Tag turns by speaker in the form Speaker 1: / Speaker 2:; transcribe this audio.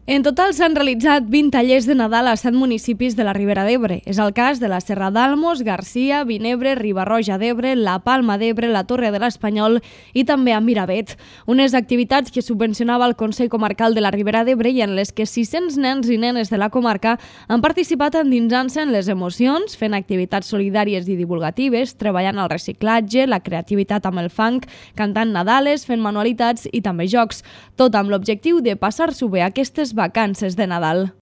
Speaker 1: En total s'han realitzat 20 tallers de Nadal a 7 municipis de la Ribera d'Ebre. És el cas de la Serra d'Almos, Garcia, Vinebre, Riba-roja d'Ebre, la Palma d'Ebre, la Torre de l'Espanyol i també a Miravet. Unes activitats que subvencionava el Consell Comarcal de la Ribera d'Ebre i en les que 600 nens i nenes de la comarca han participat endinsant-se en les emocions, fent activitats solidàries i divulgatives, treballant al reciclatge, la creativitat amb el funk, cantant nadales, fent manualitats i també jocs. Tot amb l'objectiu de passar-s'ho bé aquestes vacances de Nadal.